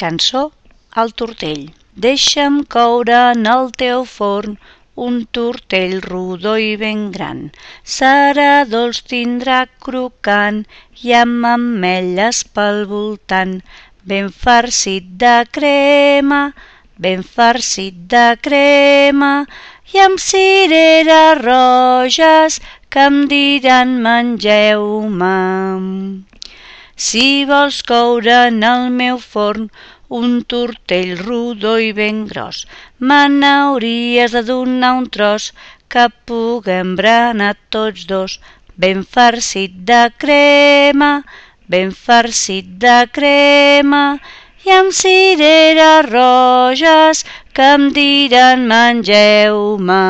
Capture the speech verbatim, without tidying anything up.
Cançó al tortell. Deixa'm coure en el teu forn un tortell rodó i ben gran. Serà dolç, tindrà crocant i amb ametlles pel voltant. Ben farcit de crema, ben farcit de crema i amb cireres roges que em diran mengeu-me. Si vols coure en el meu forn un tortell rodó i ben gros, me n'hauries de donar un tros que puguem berenar tots dos. Ben farcit de crema, ben farcit de crema i amb cireres roges que em diran mengeu-me.